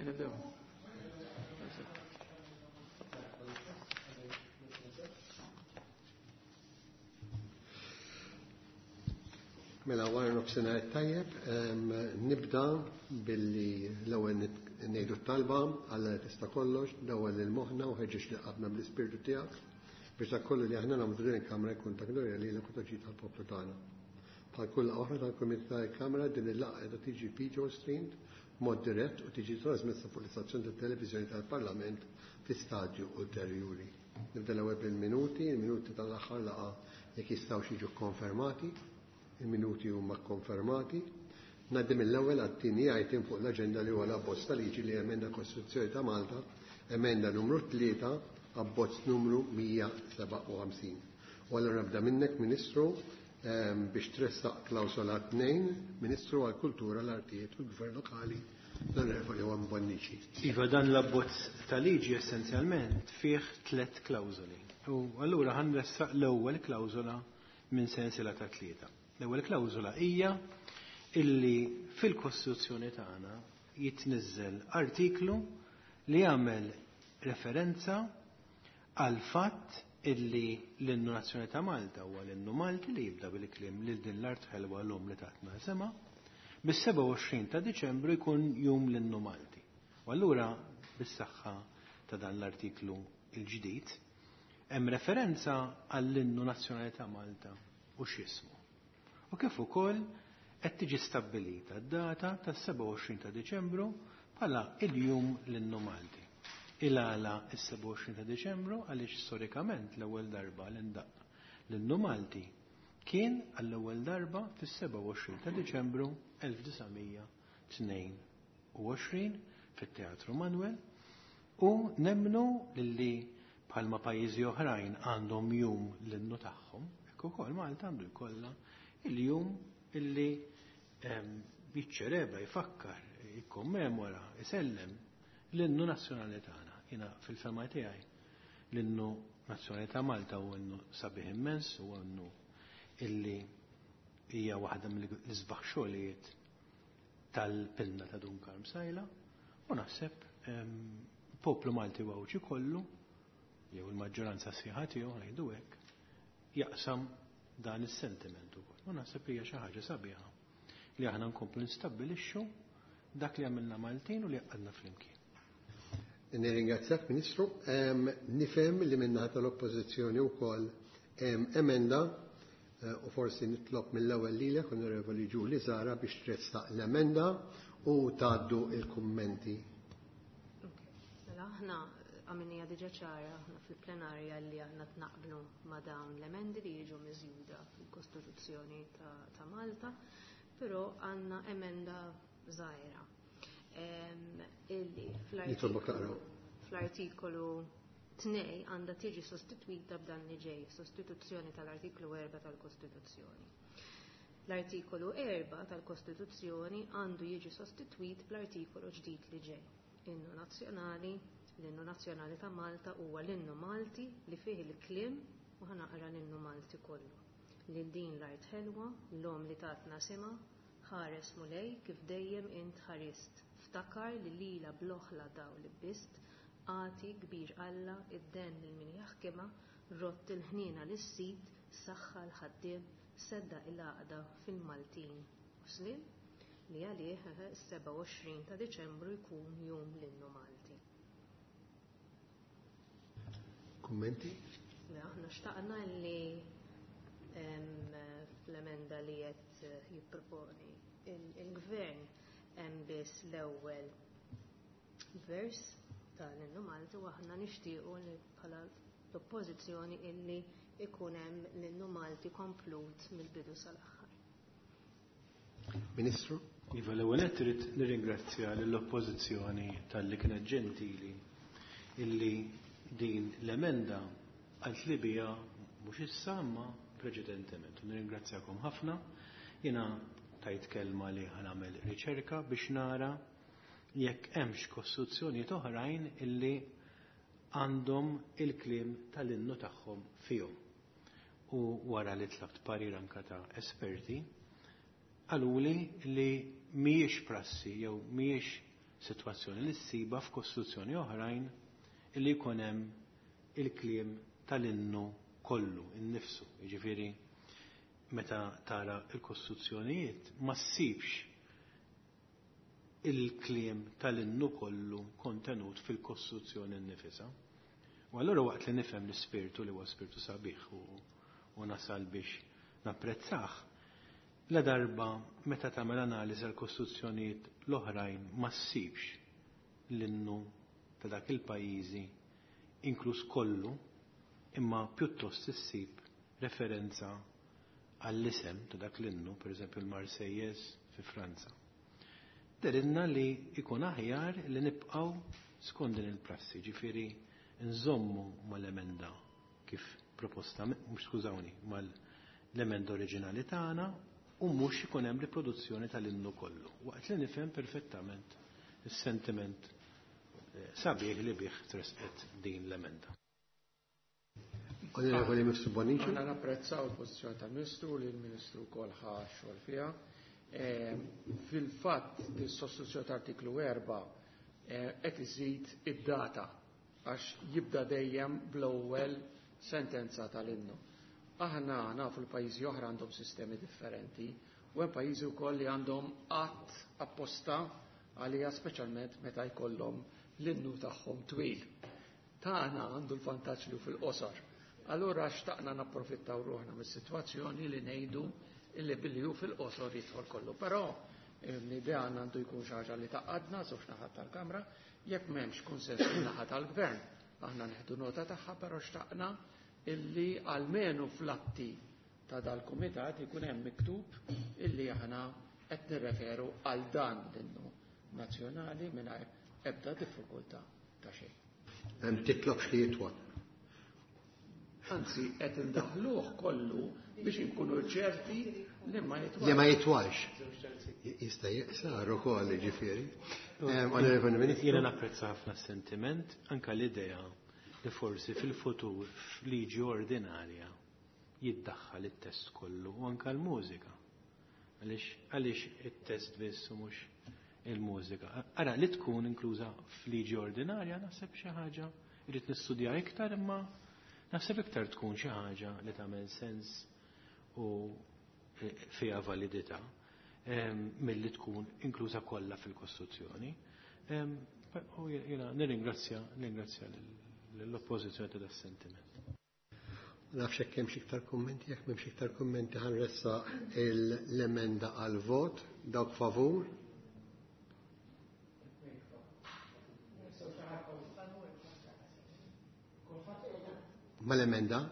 Nibdew. Mela wara nofsinhar tajjeb, nibda billi l-ewwel ngħidu t-talba Alla li tista' kollox, dawwal lil moħħna u ħeġġeġ li qalbna bl-Ispirtu tiegħek biex dak kollu li aħna nagħmlu din il-Kamra jkun ta' glorja lilek u ta' ġid għall-poplu tagħna. Bħal kull laqgħa oħra tal-Kumitat tal-Kamra, din il-laqgħa qiegħda tiġi video streamed b'mod dirett u tiġi trasmessa fuq l-istazzjon tat-televiżjoni tal-Parlament fi stadju ulterjuri. Nibda l-ewwel bil-minuti, il-minuti tal-aħħar laqgħa jekk jistgħux jiġu kkonfermati. Il-minuti huma kkonfermati. Ngħaddi mill-ewwel għat-tieni item fuq l-aġenda li huwa l-abbozz ta' liġi li jemenda l-Kostituzzjoni ta' Malta, emenda numru 3, abbozz numru 157. U allura nibda minnek, Ministru, biex tressaq klawsola 2, Ministru għall-Kultura, l-Artijiet u l-Gvern Lokali, l-Onorevoli Juan Bonnici. Iva, dan l-abbozz ta' liġi essenzjalment fih tliet klawżoli. U allura ħa nressaq l-ewwel klawżola minn sensiela ta' tlieta. L-ewwel klawżola hija illi fil-Kostituzzjoni tagħna jitniżżel artiklu li jagħmel referenza għall-fatt illi l-innu nazzjonali ta' Malta huwa l-innu Malti li jibda bil-kliem lil din l-art ħelwa l-omm li tatna isimha, bis-27 ta' Diċembru jkun jum l-innu Malti. U allura bis-saħħa ta' dan l-artiklu l-ġdid hemm referenza għall-innu nazzjonali ta' Malta u x'ismu. U kif ukoll qed tiġi stabbilita d-data tas-27 ta' Diċembru bħala il-jum l-innu Malti. Il-għala is-27 ta' Diċembru għaliex storikament l-ewwel darba li ndaqq l-innu Malti kien għall-ewwel darba fis-27 ta' Diċembru 1922 fit-Teatru Manuel u nemmnu li bħalma pajjiżi oħrajn għandhom jum l-innu tagħhom, hekk ukoll Malta għandu jkollha il-jum illi jiċċelebra, jfakkar, jikkommemora, isellem l-innu nazzjonali tagħna. Jiena fil-fema tiegħi l-innu nazzjonali ta' Malta huwa innu sabiħ immens, huwa innu illi hija waħda mill-isbaħ xogħlijiet tal-pinna ta' Dun Karm Sajla u naħseb poplu Malti u Għawdxi kollu jew il-maġġoranza sħiħa tiegħu ngħidu hekk jaqsam dan is-sentiment ukoll. U naħseb hija xi ħaġa sabiħa li aħna nkomplu nistabbilixxu dak li għamilna Maltin u li għadna flimkien. Nirringrazzjak, Ministru. Nifhem li min-naħa tal-Oppożizzjoni wkoll hemm emenda u forsi nitlob mill-ewwel lilek, Onorevoli Julie Zahra, biex tressaq l-emenda u tgħaddu il-kummenti. Mela aħna għamilnija diġà ċara aħna fil-plenarja li aħna tnaqblu ma' dawn l-emendi li jiġu miżjuda fil-Kostituzzjoni ta' Malta, però għandna emenda żgħira. Illi Nitolbok taqraw. fl-artikolu 2 għandha tiġi sostitwita b'dan li ġej, sostituzzjoni tal-artiklu 4 tal-Kostituzzjoni. L-artikolu 4 tal-Kostituzzjoni għandu jiġi sostitwit bl-artikolu ġdid li ġej. Innu nazzjonali, l-innu nazzjonali ta' Malta huwa l-innu Malti li fih il-kliem u ħa naqra l-innu Malti kollu. Lil din l-art ħelwa, l-om li tatna sima, ħares Mulej kif dejjem int ħarist. Ftakar li lila bl-oħla daw li bist, għati kbir Alla id-den lil min jaħkimha, rott il-ħniena lis-sid, saħħa l-ħaddiem, sedda il-għaqda fil-Maltin u slim, li għalih is-27 ta' Diċembru jkun jum l-innu Malti. Kummenti? Aħna xtaqna li fl-emenda li qed jipproponi il-gvern hemm biss l-ewwel vers tal-innu Malti u aħna nixtiequ li bħala l-oppożizzjoni illi ikun hemm l-innu Malti komplut mill-bidu sal-aħħar. Ministru? Iva, l-ewwel nett irid nirringrazzja lill-oppożizzjoni talli kienet ġentili illi din l-emenda qalt li biha mhux issa imma preċedentement. U nirringrazzjakom ħafna. Jiena tajt kelma li ħa nagħmel riċerka biex nara jekk hemmx kostituzzjonijiet oħrajn illi għandhom il-kliem tal-innu tagħhom fihom. U wara li tlabt parir anka ta' esperti, qaluli li mhijiex prassi jew mhijiex sitwazzjoni li ssiba f'kostituzzjoni oħrajn illi jkun hemm il-kliem tal-innu kollu, innifsu. Jiġifieri meta tara l-kostituzzjonijiet ma ssibx il-kliem tal-innu kollu kontenut fil-kostituzzjoni nnifisha. U allura waqt li nifhem l-ispirtu li huwa spirtu sabiħ u nasal biex napprezzah, la darba meta tagħmel analiżi għall-kostituzzjonijiet l-oħrajn ma ssibx l-innu ta' dak il-pajjiżi inkluż kollu, imma pjuttost issib referenza għall-isem ta' dak l-innu, pereżempju l-Marseillaise fi Franza. Dehrilna li jkun aħjar li nibqgħu skont din il-prassi, ġifieri nżommu mal-emenda kif proposta, mhux skużawni, mal-emenda oriġinali tagħna u mhux ikun hemm riproduzzjoni tal-innu kollu. Waqt li nifhem perfettament is-sentiment sabiħ li bih tresqet din l-emenda. Onorevoli Mifsud Bonnici. Aħna napprezzaw il-pożizzjoni tal-Ministru li l-Ministru wkoll ħa xogħol fiha. Fil-fatt is-sostituzzjoni ta' artiklu 4 qed iżid id-data għax jibda dejjem bl-ewwel sentenza tal-innu. Aħna nafu l-pajjiżi oħra għandhom sistemi differenti u hemm pajjiżi wkoll li għandhom att apposta għalija speċjalment meta jkollhom l-innu tagħhom twil. Tagħna għandu l-vantaġġ li fil-qosor. Allura xtaqna napprofittaw ruħna mis-sitwazzjoni li ngħidu illi billi hu fil-qosor jidħol kollu. Però l-idea għandu jkun xi ħaġa li taqadna żewġ naħat tal-Kamra, jekk m'hemmx kunsens min-naħa tal-Gvern, aħna neħdu nota tagħha, però xtaqna illi almenu fl-atti ta' dal-kumitat ikun hemm miktub illi aħna qed nirreferu għal dan l-innu nazzjonali mingħajr ebda diffikultà ta' xejn. Hemm titlobx li jitwal. Anzi, qed indaħluh kollu biex inkunu ċerti li ma jitwalx. Li ma jitwalx. Jista' jaqsar ukoll, jiġifieri. Onorevoli Ministru. Jiena napprezza ħafna s-sentiment, anke l-idea li forsi fil-futur f'liġi ordinarja jiddaħħal it-test kollu u anke l-mużika. Għaliex it-test biss u mhux il-mużika. Ara li tkun inkluża f'liġi ordinarja naħseb xi ħaġa irrid nistudja iktar, imma naħseb iktar tkun xi ħaġa li tagħmel sens u fiha validità milli tkun inkluża kollha fil-Kostituzzjoni. U jiena nirringrazzja l-oppożizzjoni ta' das-sentiment. Nafx hekk hemm xi iktar kummenti, jekk m'hemmx iktar kummenti ħanressa l-emenda għal vot, dawk favur. Mal-emenda?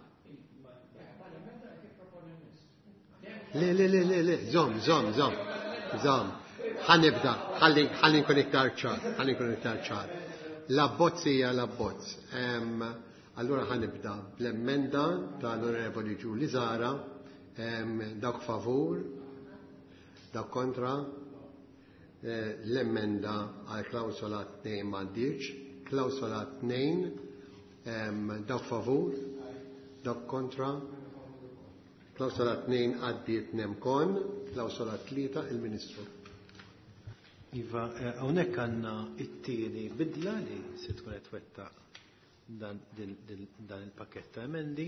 Le, le, le, le, le, zom, zom, zom, zom. Ħanibda, ħalli nkun iktar ċar, ħalli nkun iktar ċar. L-abbozz hija l-abbozz. Allura ħanibda bl-emenda tal-Onorevoli Julie Zahra, dawk favur, dawk kontra, l-emenda għal klawsola 2 m'għaddiex, klawsola 2, dawk favur, dawk kontra, klawsola 2 għaddiet nemkon, klawsola 3 il-Ministru. Iva, hawnhekk għandna it-tieni bidla li se tkun qed twettaq dan il-pakket ta' emendi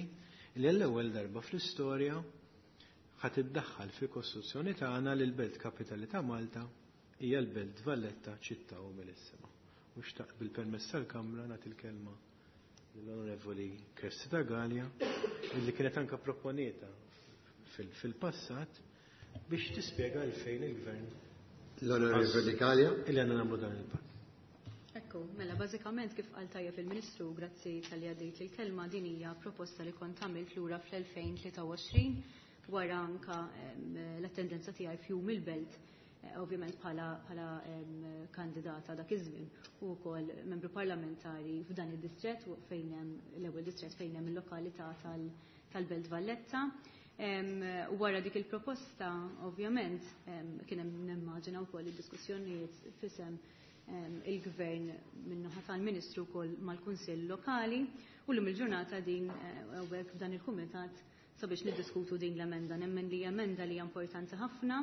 li għall-ewwel darba fl-istorja ħadd iddaħħal fil-Kostituzzjoni tagħna li l-Belt Kapitali ta' Malta hija l-Belt Valletta ċittà umilissima. U xtaqt bil-permess tal-Kamra nagħti l-kelma lill-Onorevoli Cressida Galea li kienet anka proponieta fil-passat biex tispjega għalfejn il-Gvern L-Onorevoli Galea. Illi għandna nagħmlu dan il-pass. Ekku, mela bażikament kif qal tajjeb il-Ministru, grazzi tal-li għaddejt il-kelma, din hija proposta li kont għamilt lura fl-2023 wara anka l-attendenza tiegħi f'jum il-belt, ovvjament bħala kandidata dak iż-żmien u wkoll membru parlamentari f'dan id-distrett fejn hemm l-ewwel distrett fejn hemm il-lokalità tal-Belt Valletta. Wara dik il-proposta, ovvjament, kien hemm nimmaġina wkoll id-diskussjonijiet fisem il-Gvern min-naħa tal-Ministru wkoll mal-Kunsill Lokali u llum il-ġurnata din hawnhekk f'dan il-kumitat sabiex niddiskutu din l-emenda. Nemmen li emenda li hija importanti ħafna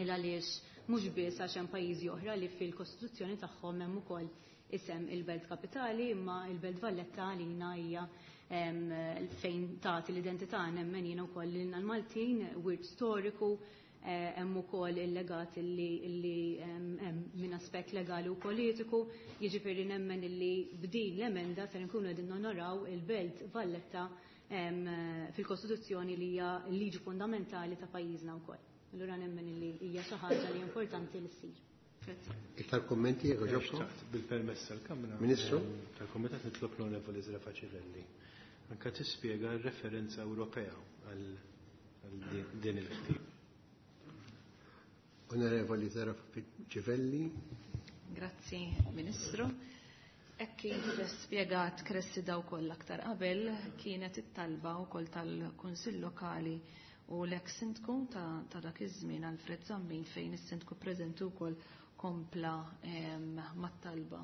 il għaliex Mhux biss għax hemm pajjiżi oħra li fil-Kostituzzjoni tagħhom hemm ukoll isem il-Belt Kapitali, imma il-Belt Valletta għalina hija fejn tagħti l-identità nemmen jiena wkoll lilna l-Maltin, wirt storiku, hemm ukoll il-legat li hemm minn aspett legali u politiku, jiġifieri nemmen illi b'din l-emenda ser nkunu qegħdin nonoraw il-Belt Valletta fil-Kostituzzjoni li hija l-liġi fundamentali ta' pajjiżna wkoll. Allura nemmen illi hija xi ħaġa li importanti li ssir. Iktar kommenti jekk ġobkom? Bil-permess tal-Kamra. Ministru? Tal-Komitat nitlob l-Onorevoli Zerafa Civelli. Anka tispjega r-referenza Ewropea għal din il-ħtieb. Onorevoli Zerafa Civelli. Grazzi, Ministru. Hekk kif spjegat Cressida wkoll aktar qabel, kienet it-talba wkoll tal-Kunsill Lokali u l-ex sindku ta' dak iż-żmien Alfred Zammit, fejn is-sindku preżenti wkoll kompla mat-talba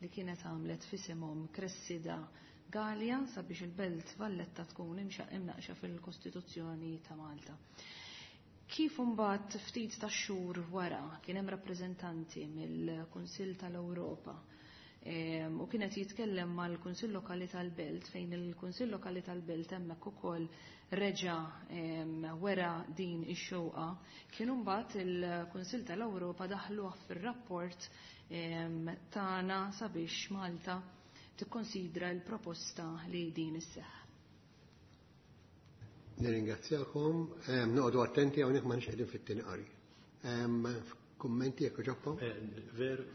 li kienet għamlet f'isimhom Cressida Galea sabiex il-Belt Valletta tkun imnaqxa fil-Kostituzzjoni ta' Malta. Kif imbagħad ftit ta' xhur wara kien hemm rappreżentanti mill-Kunsill tal-Ewropa u kienet jitkellem mal-Kunsill Lokali tal-Belt, fejn il-Kunsill Lokali tal-Belt hemmhekk ukoll reġa' wera din ix-xewqa, kien imbagħad il-Kunsill tal-Ewropa daħluh fir-rapport tagħna sabiex Malta tikkonsidra l-proposta li din isseħħ. Nirringrazzjakom, noqogħdu attenti hawnhekk ma nix qegħdin fit-tieni qari. Kummenti jekk ġobkom?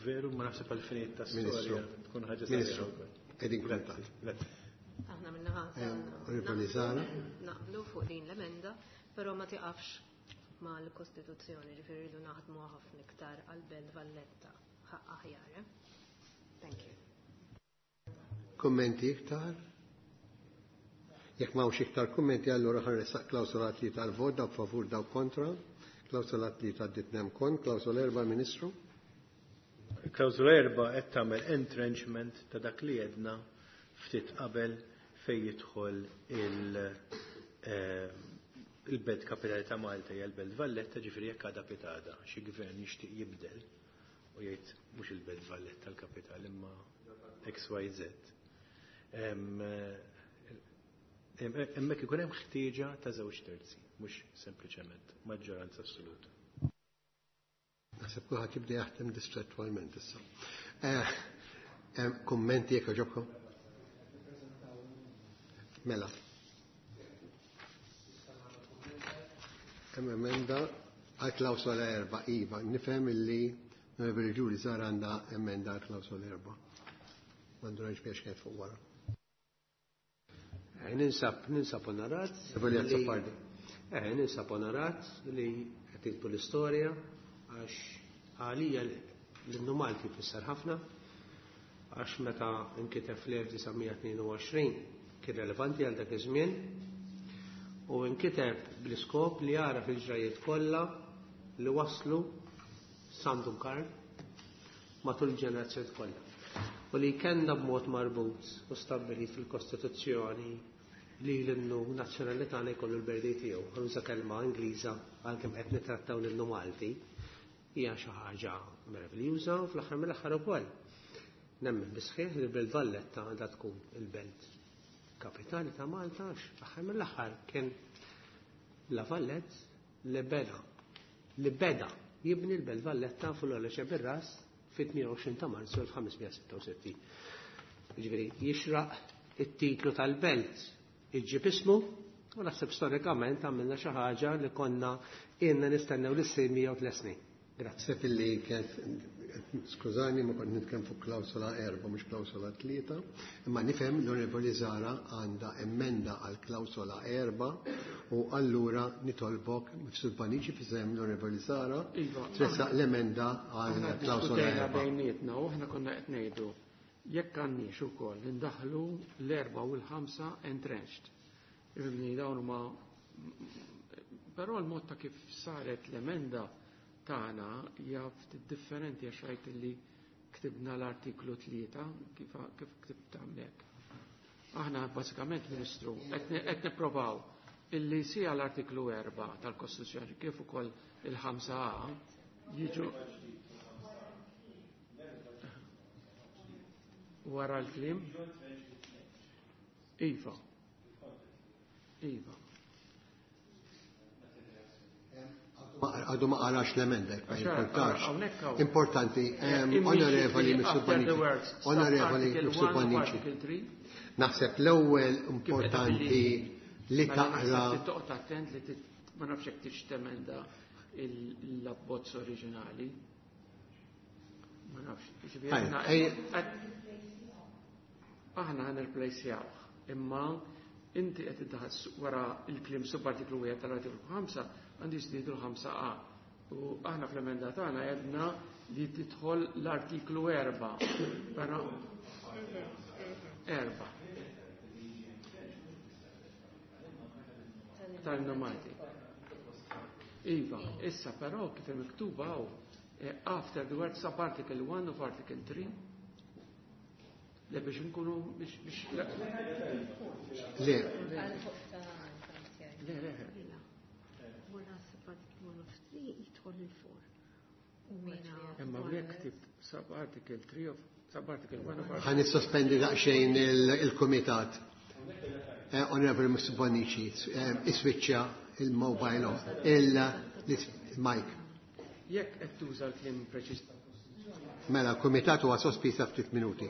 Veru, ma naħseb għal-finijiet ta' Ministru. storja tkun ħaġa Ministru, sabiħa wkoll. qegħdin kuntat. Grazzi. Aħna minnaħa Onorevoli Zahra. naqblu fuq din l-emenda, però ma tiqafx mal-Kostituzzjoni, ġifieri rridu naħdmu ħafna iktar għal-Belt Valletta ħaqq aħjar. Thank you. Kummenti iktar? Jekk m'hawnx iktar kummenti, allura ħanressaq klawsola tlieta għal-vot, dawk favur, dawk kontra. Klawsola tlieta għaddit nem kont, klawsola 4, Ministru. Klawsola 4 qed tagħmel entrenchment ta' dak li jedna ftit qabel fejn jidħol il-Belt Kapitali ta' Malta hija l-Belt Valletta, ġifieri jekk għadha pitada xi gvern jixtieq jibdel u jgħid mhux il-Belt Valletta l-kapital imma XYZ. Hemmhekk ikun hemm ħtieġa ta' żewġ terzi, mhux sempliċement maġġoranza assoluta. Naħseb kulħadd jibda jaħdem distrettualment issa. Kummenti jekk jogħġobkom? Mela. Hemm emenda għal klawsola 4, iva, nifhem illi Onorevoli Julie Zahra għandha emenda għal klawsola 4. M'għandu rajx biex kienet fuq wara. Ninsab onorat Onorevoli li Azzopardi. Ninsab onorat li qed titbu l-istorja għax għalija l-innu Malti jfisser ħafna, għax meta nkiteb fl-1922 kien relevanti għal dak iż-żmien u nkiteb bl-iskop li jara fil-ġrajiet kollha li waslu San Dun Karm matul il-ġenerazzjoni kollha. U li kellna b'mod marbut u stabbilit fil-Kostituzzjoni li l-innu nazzjonali tagħna jkollu l-berdi tiegħu. Ħanuża kelma Ingliża għalkemm qed nittrattaw l-innu Malti, hija xi ħaġa meraviljuża u fl-aħħar mill-aħħar ukoll. Nemmen bisħieħ li l-Belt Valletta għandha tkun il-belt kapitali ta' Malta għax fl-aħħar mill-aħħar kien La Vallette li beda li beda jibni l-Belt Valletta fuq l-għola bir-ras fit-28 ta' Marzu 1566. Jiġifieri jixraq it-titlu tal-belt iġġib ismu u naħseb storikament għamilna xi ħaġa li konna ilna nistennew li ssir 103 snin. Grazzi. Naħseb illi kienet, skużani, ma kont nitkellem fuq klawsola 4 mhux klawsola 3, imma nifhem l-Onorevoli Zahra għandha emenda għal klawsola 4 u allura nitolbok Mifsud Bonnici f'isem l-Onorevoli Zahra Iva, tressaq l-emenda għal aħna klawsola diskutejna 4. bejnietna u aħna konna qed ngħidu jekk għandniex ukoll indaħlu l-4 u l-5 entrenched. Ifhimni dawn huma, però l-mod ta' kif saret l-emenda tagħna hija ftit differenti għax rajt li ktibna l-artiklu 3 kif ktibt hawnhekk. Aħna bażikament, Ministru, qed nipprovaw illi sija l-artiklu 4 tal-Kostituzzjoni kif ukoll il-5 A Jiġu wara l-kliem? Iva. Iva. Għadu ma qarax l-emenda, ma importax. Importanti, onorevoli Mifsud Bonnici. Onorevoli Mifsud Bonnici. Naħseb l-ewwel importanti li taqra. Toqgħod attent li ma nafx hekk tix temenda l-abbozz oriġinali. Ma nafx. Aħna ħa nirplejsjawh, imma inti qed iddaħħal wara l-kliem subartiklu 1 tal-artiklu 5 għandu jiżdiedu l-5A. U aħna fl-emenda tagħna għedna li tidħol l-artiklu 4. Però 4. Tal-Malti. Iva, issa però kif miktuba hawn after the word sub-article 1 of article 3 Le biex nkunu biex biex le. Le. Le, le. Wara sub-article 1 of 3 jidħol il-4. Imma hawnhekk ktibt sub-article 3 of sub-article 1 of Ħa nissospendi daqsxejn il-kumitat. Onorevoli Mifsud Bonnici, iswiċċja il-mobile off, il-mic. Jekk qed tuża l-kliem preċiż. Mela, l-kumitat huwa sospiż ftit minuti.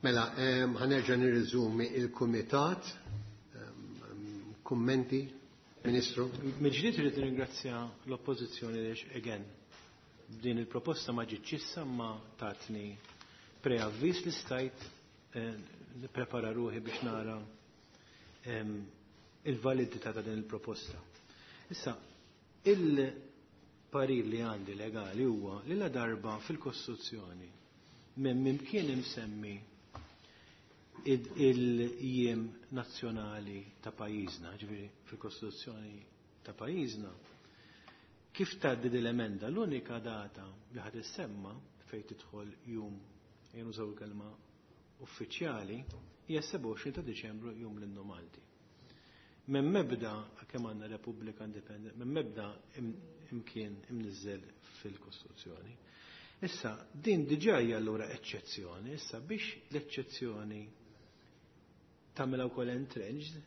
Mela, ħa nerġa' nirriżumi il-kumitat. Kummenti, Ministru? Mill-ġdid irid nirringrazzja l-Oppożizzjoni għaliex again din il-proposta ma ġietx issa ma tatni preavviż li stajt nipprepara ruħi biex nara il-validità ta' din il-proposta. Issa, il-parir li għandi legali huwa li la darba fil-Kostituzzjoni minn mimkien imsemmi il-jiem nazzjonali ta' pajjiżna, ġifieri fil-Kostituzzjoni ta' pajjiżna, kif tgħaddi din l-emenda l-unika data li ħad issemma fejn tidħol jum jew il-kelma uffiċjali hija 27 ta' Diċembru jum l-Innu Malti. Minn mebda kemm għandna Repubblika Indipendenti, minn mebda imkien imniżżel fil-Kostituzzjoni. Issa, din diġà hija allura eċċezzjoni, issa biex l-eċċezzjoni tagħmilha wkoll entrenched,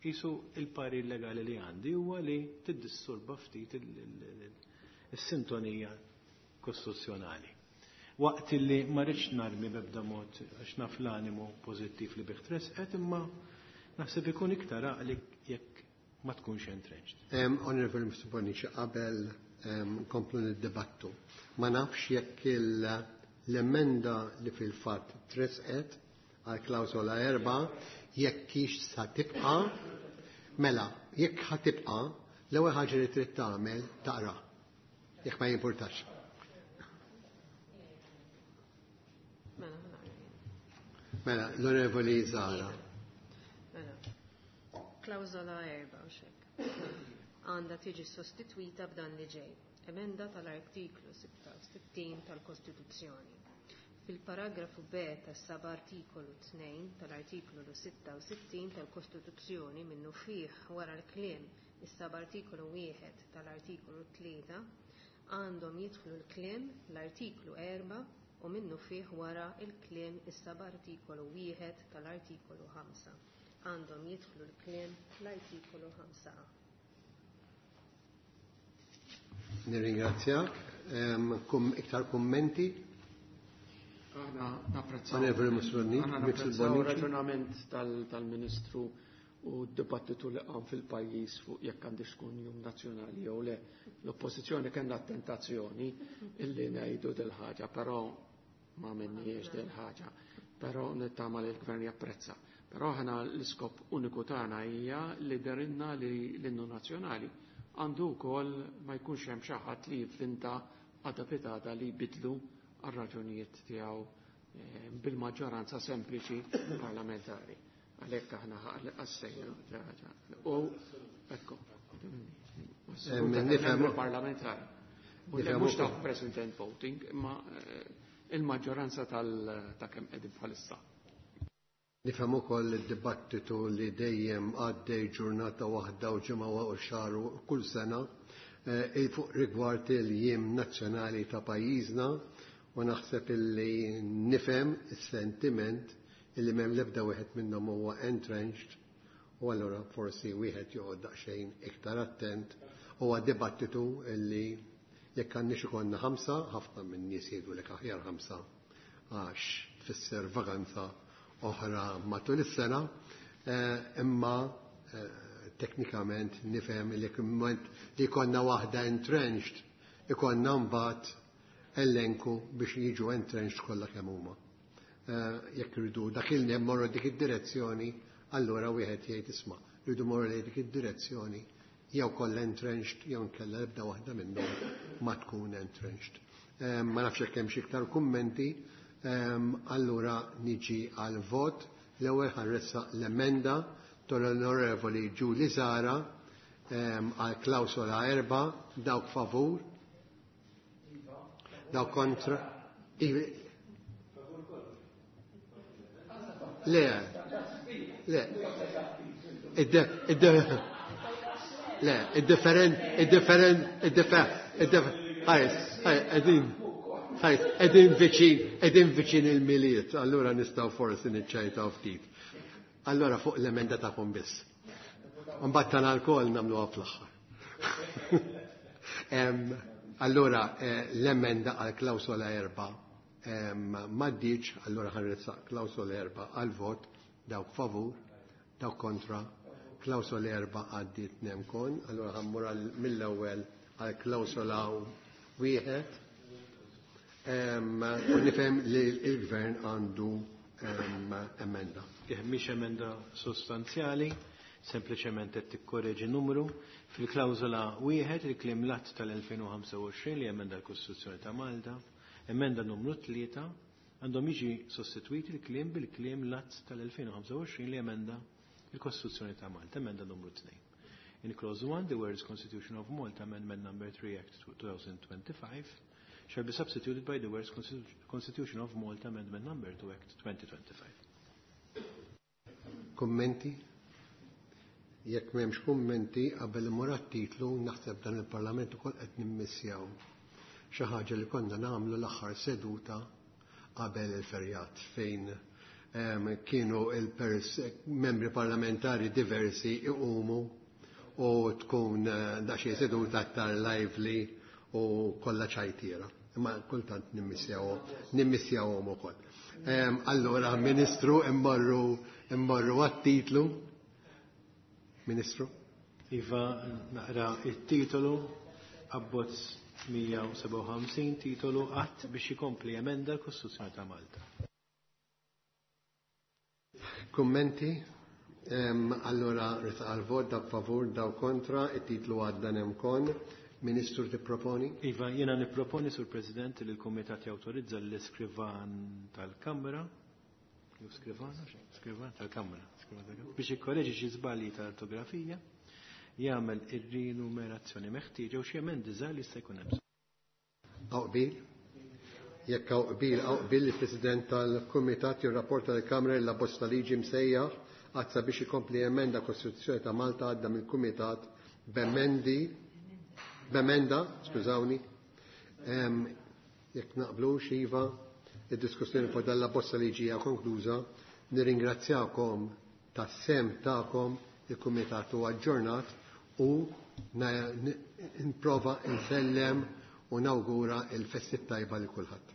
jisu il-parir legali li għandi huwa li tiddisturba ftit il-sintonija kostituzzjonali. Waqt li ma rridx narmi b'ebda mod għax naf l-animu pożittiv li bih tresqet, imma naħseb ikun iktar għaqli jekk ma tkunx entrenched. Onorevoli Mifsud Bonnici, qabel nkomplu nid-dibattu. Ma nafx jekk l-emenda li fil-fatt tresqet għal klawsola 4 jekk hix sa tibqa', mela, jekk ħa tibqa', l-ewwel ħaġa li trid tagħmel taqra. Jekk ma jimpurtax. Mela, l-Onorevoli Zahra. Mela, klawsola 4 u xek. Għandha tiġi sostitwita b'dan li ġej. Emenda tal-artiklu 66 tal-Kostituzzjoni. Fil-paragrafu B tas-sab artikolu 2 tal-artiklu 66 tal-Kostituzzjoni minnu fih wara l-kliem is-sab artikolu 1 tal-artikolu 3 għandhom jidħlu l-kliem l-artiklu 4 u minnu fih wara l-kliem is-sab artikolu 1 tal-artikolu 5. Għandhom jidħlu l-kliem l-artikolu 5A. Nirringrazzjak. Iktar kummenti? Aħna napprezzaw. Onorevoli Mussolini, Aħna Mixel napprezzaw Bonnici. raġunament tal-Ministru u d-dibattitu li qam fil-pajjiż fuq jekk għandix tkun jum nazzjonali jew le. L-oppożizzjoni kellna tentazzjoni illi ngħidu dil-ħaġa, però ma minniex dil-ħaġa. Però nittama li l-gvern japprezza. Però aħna l-iskop uniku tagħna hija li derinna li l-innu nazzjonali għandu wkoll ma jkunx hemm xi ħadd li jivvinta għada pitata li jbidlu għal raġunijiet tiegħu bil-maġġoranza sempliċi parlamentari. Għalhekk aħna għassejna ħaġa. U ekku. Nifhem- Parlamentari. U le Nifhem mhux ta' ukoll. president voting, imma il-maġġoranza ta' kemm qegħdin bħalissa. Nifhem ukoll id-dibattitu li dejjem għaddej ġurnata waħda u ġimgħa u xahar u kull sena fuq rigward il-jiem nazzjonali ta' pajjiżna, u naħseb illi nifhem is-sentiment illi m'hemm l-ebda wieħed minnhom huwa entrenched, u allura forsi wieħed joqgħod daqsxejn iktar attent. Huwa dibattitu illi jekk għandniex ikollna 5, ħafna minn nies jgħidu lek aħjar 5 għax tfisser vaganza oħra matul is-sena, imma teknikament nifhem li jekk imma li jkollna waħda entrenched, ikollna mbagħad elenku biex jiġu entrenched kollha kemm huma. Jekk irridu dak il morru dik id-direzzjoni, allura wieħed jgħid isma' rridu morru lejn dik id-direzzjoni jew kollha entrenched jew inkella ebda waħda minnhom ma tkun entrenched. Ma nafx jekk hemm xi iktar kummenti, allura niġi għal vot. L-ewwel ħarressa l-emenda tal-Onorevoli Julie Zahra għal klawsola 4, dawk favur, dawk kontra. Le, le, le, id-different, id-different, id-different, id-different, ħajs, ħajs, qegħdin, ħajs, qegħdin viċin, qegħdin viċin il-Milied, allura nistgħu forsi niċċajtaw ftit. Allora fuq l-emenda tagħkom biss. Mbagħad tal-alkohol nagħmluha fl-aħħar. Allora l-emenda għal klawsola 4 m'għaddiċ, allura ħanressaq klawsola 4 għal vot, dawk favur, dawk kontra, klawsola 4 għaddiet nemkon, allura ħammur mill-ewwel għal klawsola 1. U nifhem li l-gvern għandu emenda. Mhix emenda sostanzjali, sempliċement qed tikkoreġi numru. Fil-klawżola 1 il-kliem l-att tal-2025 li emenda l-Kostituzzjoni ta' Malta, emenda numru 3 għandhom jiġi sostitwiti il-kliem bil-kliem l-att tal-2025 li emenda l-Kostituzzjoni ta' Malta, emenda numru 2. In clause 1, the words Constitution of Malta, Amendment number 3, Act 2025, shall be substituted by the words Constitution of Malta, Amendment number 2, Act 2025. Kommenti? Jekk m'hemmx kummenti qabel imur għat-titlu, naħseb dan il-Parlament ukoll qed nimmissjaw xi ħaġa li konna nagħmlu l-aħħar seduta qabel il-ferjat fejn kienu il-membri parlamentari diversi iqumu u tkun daqsxejn seduta aktar lively u kollha ċajtiera. Imma kultant nimmissjawhom ukoll. Allora, Ministru, immorru għat-titlu. Ministru? Iva, naqra it-titolu, abbozz 157, titolu att biex ikompli emenda l-Kostituzzjoni ta' Malta. Kummenti? Allora, resa għal-vot, dak favur, daw kontra, it-titlu għadda nemkon. Ministru, tipproponi? Iva, jena nipproponi, Sur President, li l-Komitat jawtorizza l-iskrivan tal-Kamra, jew skrivana, skrivan tal-Kamra, skrivan tal-Kamra, biex ikkoreġi xi żbalji ta' ortografija, jagħmel ir-rinumerazzjoni meħtieġa u xi emendi żgħar li jista' jkun hemm. Hawn qbil? Jekk hawn qbil, hawn qbil il-President tal-Kumitat jirrapporta lill-Kamra li l-abbozz ta' liġi msejjaħ għad sabiex ikompli emenda Kostituzzjoni ta' Malta għadda mill-Kumitat b'emenda, skużawni, jekk naqblux, iva, id-diskussjoni fuq dan l-abbozz ta' liġi hija konkluża. Nirringrazzjakom tas-sem tagħkom, il-Kumitat huwa aġġornat u nprova nsellem u nawgura il-festi tajba li kulħadd.